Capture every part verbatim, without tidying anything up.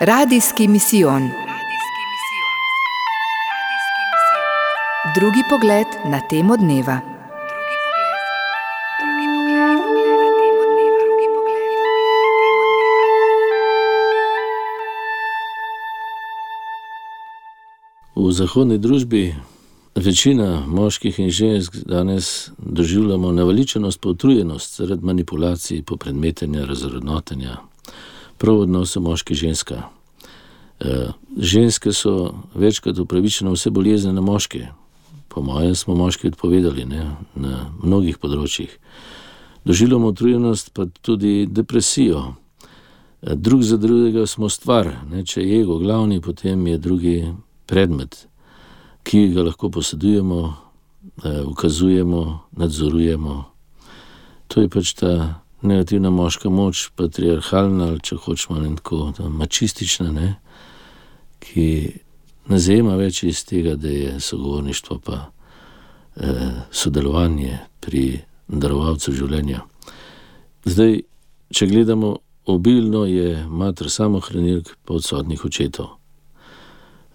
Radijski misijon. Drugi pogled na temo dneva. V zahodni družbi večina moških in žensk danes doživljamo naveličanost pa utrujenost zaradi manipulacij, popredmetenja, razvrednotenja, prav v odnosu moški-ženska. E, ženske so večkrat upravičene vse bolezni na moške. Po mojem smo moški odpovedali, ne, na mnogih področjih. Doživljamo utrujenost pa tudi depresijo. E, drug za drugega smo stvar, ne, če je ego glavni, potem je drugi predmet, ki ga lahko posedujemo, eh, ukazujemo, nadzorujemo. To je pač ta negativna moška moč, patriarhalna, ali če hočemo ne tako, mačistična, ne, ki ne zajema več iz tega, da je sogovorništvo pa eh, sodelovanje pri darovalcu življenja. Zdaj, če gledamo obilno, je mater samohranilk pa odsotnih očetov.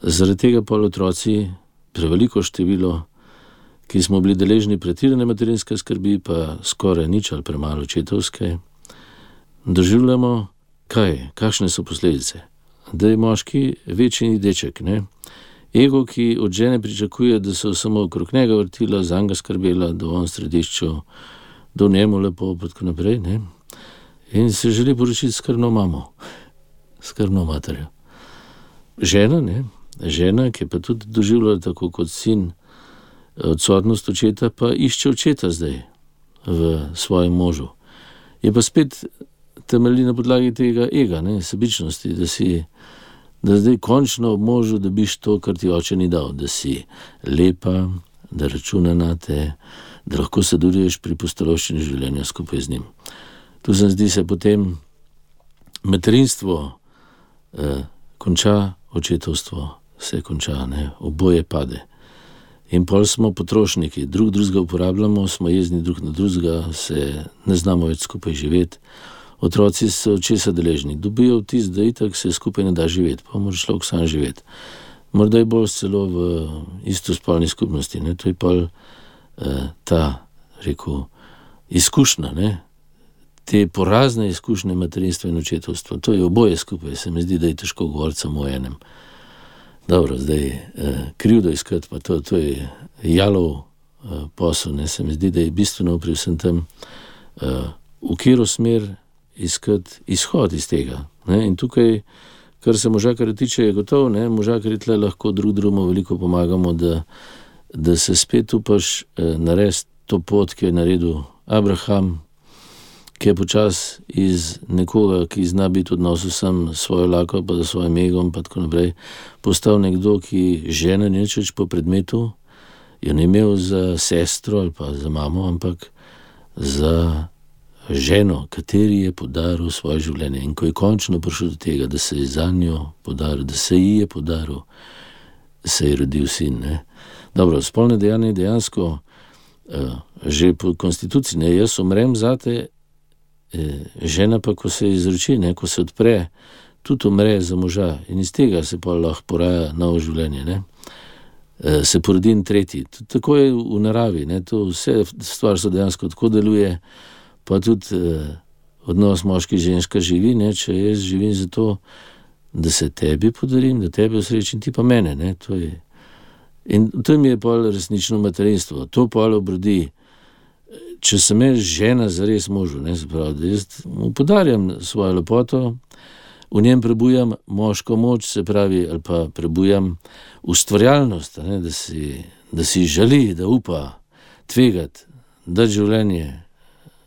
Zaradi tega pol otroci, preveliko število, ki smo bili deležni pretirane materinske skrbi, pa skoraj nič ali premalo očetovske, doživljamo kaj, kakšne so posledice. Da je moški večji deček, ne? Ego, ki od žene pričakuje, da so samo okrog njega vrtila, zanj ga skrbela, da on v središču, da v njemu lepo, pa tako naprej, ne? In se želi poročiti skrbno mamo, skrbno materjo. Žena, ne? Žena, ki pa tudi doživljala tako kot sin odsotnost očeta, pa išče očeta zdaj v svojem možu. Je pa spet temelji na podlagi tega ega, ne, sebičnosti, da si, da zdaj končno ob možu dobiš to, kar ti oče ni dal, da si lepa, da računa na te, da lahko sodeluješ pri pustolovščini življenja skupaj z njim. Tu se zdi se potem materinstvo eh, konča, očetovstvo se konča, ne, oboje pade. In pol smo potrošniki, drug drugega uporabljamo, smo jezni drug na drugega, se ne znamo več skupaj živeti. Otroci so česa deležni, dobijo vtis, da itak se skupaj ne da živeti, pa mora človek sam živeti. Morda je bolj celo v istospolni skupnosti, ne, to je pol eh, ta, rekel, izkušnja, ne, te porazne izkušnje materinstva in očetovstva, to je oboje skupaj, se mi zdi, da je težko govoriti samo o enem. Dobro, zdaj, eh, krivdo iskati, pa to, to je jalov eh, posel, ne, se mi zdi, da je bistveno pri vsem tem, eh, v katero smer iskati izhod iz tega, ne, in tukaj, kar se možakarja tiče, je gotovo, ne, možakarji tle lahko drug drugemu veliko pomagamo, da, da se spet upaš eh, narediti to pot, ki je naredil Abraham, ki je počas iz nekoga, ki zna biti v odnosu sam svojo lako, pa za svojim egom, pa tako naprej, postal nekdo, ki žena ni več po predmetu, jo ne imel za sestro ali pa za mamo, ampak za ženo, kateri je podaril svoje življenje. In ko je končno prišel do tega, da se je za njo podaril, da se ji je podaril, se je rodil sin, ne. Dobro, spolne dejanje je dejansko uh, že po konstituciji, ne, jaz umrem zate, žena pa, ko se izroči, ne, ko se odpre, tudi umre za moža in iz tega se pa lahko poraja novo življenje, ne. E, se porodi in tretji. Tako je v naravi, ne, to vse stvar so dejansko tako deluje, pa tudi eh, odnos moški-ženska živi, ne, če jaz živim zato, da se tebi podarim, da tebe osrečim, ti pa mene, ne, to je. In to mi je pa resnično materinstvo, to pa obrodi. Če sem jaz žena zares možu, ne, se pravi, da jaz mu podarjam svojo lepoto, v njem prebujam moško moč, se pravi, ali pa prebujam ustvarjalnost, ne, da si, da si želi, da upa tvegati, da življenje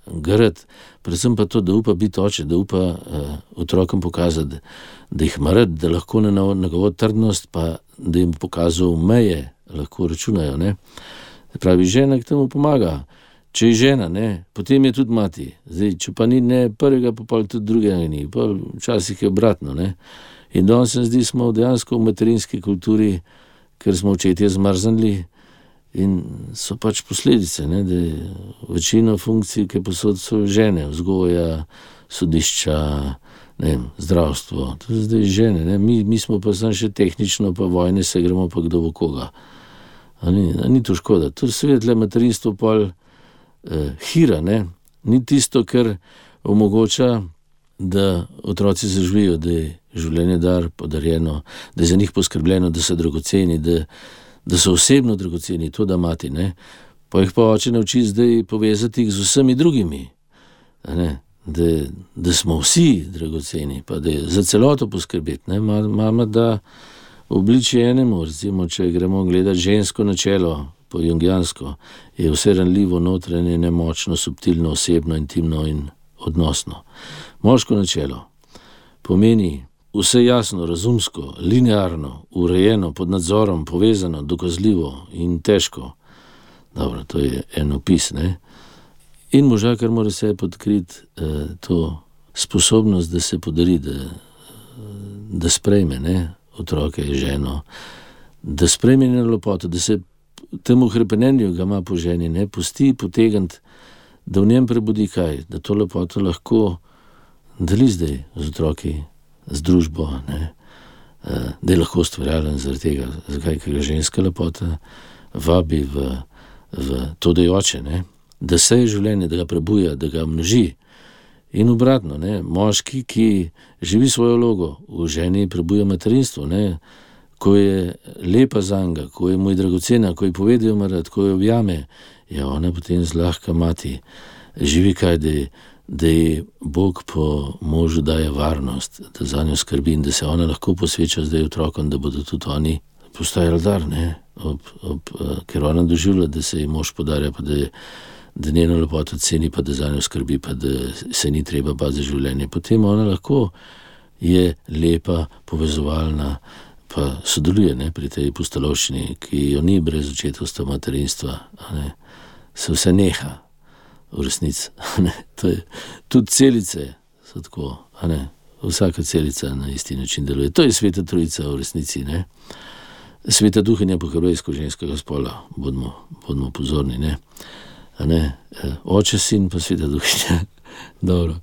garati, predvsem pa to, da upa biti oče, da upa uh, otrokom pokazati, da jih ima rad, da lahko na njegovo trdnost, pa da jim pokazal meje, lahko računajo, ne. Se pravi, žena k temu pomaga. Če je žena, ne, potem je tudi mati. Zdaj, če pa ni ne prvega, pa pa tudi drugega ni. Pa včasih je obratno, ne. In danes se zdi, smo dejansko v materinski kulturi, ker smo očetje zmrznili in so pač posledice, ne, da je večina funkcij, ki posod so žene, vzgoja, sodišča, ne vem, zdravstvo, to je zdaj žene, ne? Mi, mi smo pa samo še tehnično, pa vojne se gremo pa kdo bo koga. A ni, a ni to škoda. To svetle materinstvo pol eh, hira, ne? Ni tisto, kar omogoča, da otroci zaživijo, da je življenje dar podarjeno, da je za njih poskrbljeno, da so dragoceni, da, da so osebno dragoceni, to da mati, ne? Pa jih pa oče nauči zdaj povezati jih z vsemi drugimi, ne? Da, da smo vsi dragoceni, pa da je za celoto poskrbeti, ne? Mama da obliči enemu, recimo, če gremo gledati žensko načelo, po jungijansko, je vse ranljivo, notranje, nemočno, subtilno, osebno, intimno in odnosno. Moško načelo pomeni vse jasno, razumsko, linearno, urejeno, pod nadzorom, povezano, dokazljivo in težko. Dobro, to je en opis, ne? In moža, kar mora se podkriti eh, to sposobnost, da se podari, da, da sprejme, ne? Otroke, ženo, da sprejme njeno lepoto, da se temu hrepenenju ga ima po ženi, ne? Pusti potegniti, da v njem prebudi kaj, da to lepoto lahko deli zdaj z otroki, z družbo, ne? Da je lahko ustvarjalen zaradi tega, zakaj, ker ga ženska lepota vabi v, v to dajoče, ne? Da seje življenje, da ga prebuja, da ga množi. In obratno, ne? Moški, ki živi svojo vlogo, v ženi prebuja materinstvo, ne? Ko je lepa zanga, ko je mu dragocena, ko je povedal marat, ko jo objame, ja, ona potem zlahka mati živi kaj, da je, da je Bog po možu daje varnost, da za njo skrbi in da se ona lahko posveča zdaj otrokom, da bodo tudi oni postajali dar, ne? Ob, ob, ker ona doživlja, da se ji mož podarja, pa da, je, da njeno lepoto ceni, pa da za njo skrbi, pa da se ni treba bati za življenje. Potem ona lahko je lepa, povezovalna, pa sodeluje, ne, pri tej pustolovščini, ki jo ni brez očetovstva, materinstva, ne, se vse neha v resnici. To je, tudi celice so tako, ne, vsaka celica na isti način deluje. To je Sveta Trojica v resnici, ne. Sveta Duhinja po hebrejsko ženskega spola, bodimo, bodimo pozorni, ne. Ne, oče, sin pa Sveta Duhinja. Dobro,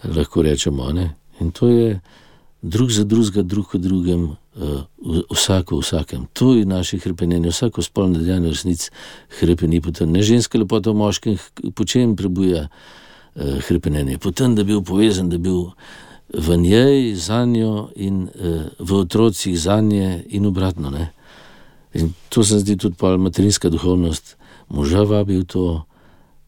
lahko rečemo, ne. In to je drug za drugega, drug v drugem, vsako v vsakem. To je naše hrepenenje, vsako spolno dejanje v resnici hrepeni po tem. Ne ženska lepota v moškem, po čem prebuja hrepenenje? Po tem, da bi bil povezan, da bi bil v njej, za njo in v otrocih za nje in obratno, ne. In to se zdi tudi pol materinska duhovnost. Moža vabi v to,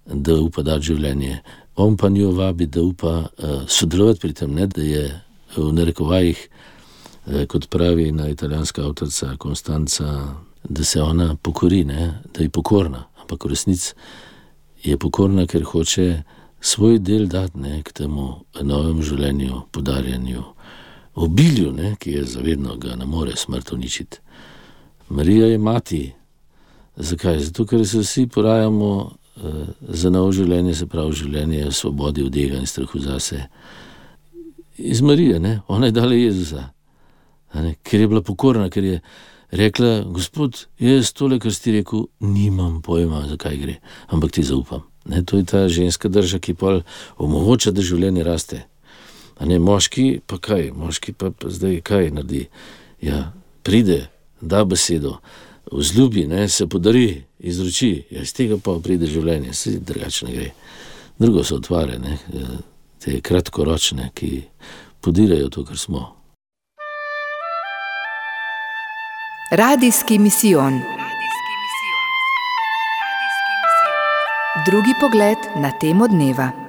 da upa dati življenje. On pa njo vabi, da upa sodelovati pri tem, ne, da je v narekovajih, kot pravi na italijanska avtorica Konstanca, da se ona pokori, ne, da je pokorna, ampak v resnici je pokorna, ker hoče svoj del dati, ne, k temu novemu življenju, podarjanju, obilju, ne, ki je zavedno, ga ne more smrt uničiti. Marija je mati. Zakaj? Zato, ker se vsi porajamo eh, za novo življenje, se pravi življenje v svobodi od ega in strahu zase. Iz Marije, ne, ona je dala Jezusa. Ker je bila pokorna, ker je rekla, Gospod, jaz tole, kar si rekel, nimam pojma, zakaj gre, ampak ti zaupam. Ne, to je ta ženska drža, ki pol omogoča, da življenje raste. A ne, moški pa kaj, moški pa, pa zdaj kaj naredi? Ja, pride, da besedo, vzljubi, ne, se podari, izroči, ja, iz tega pa pride življenje, se drugače ne gre. Drugo so otvare, ne, te kratkoročne, ki podirajo to, kar smo. Radijski misijon. Drugi pogled na temo dneva.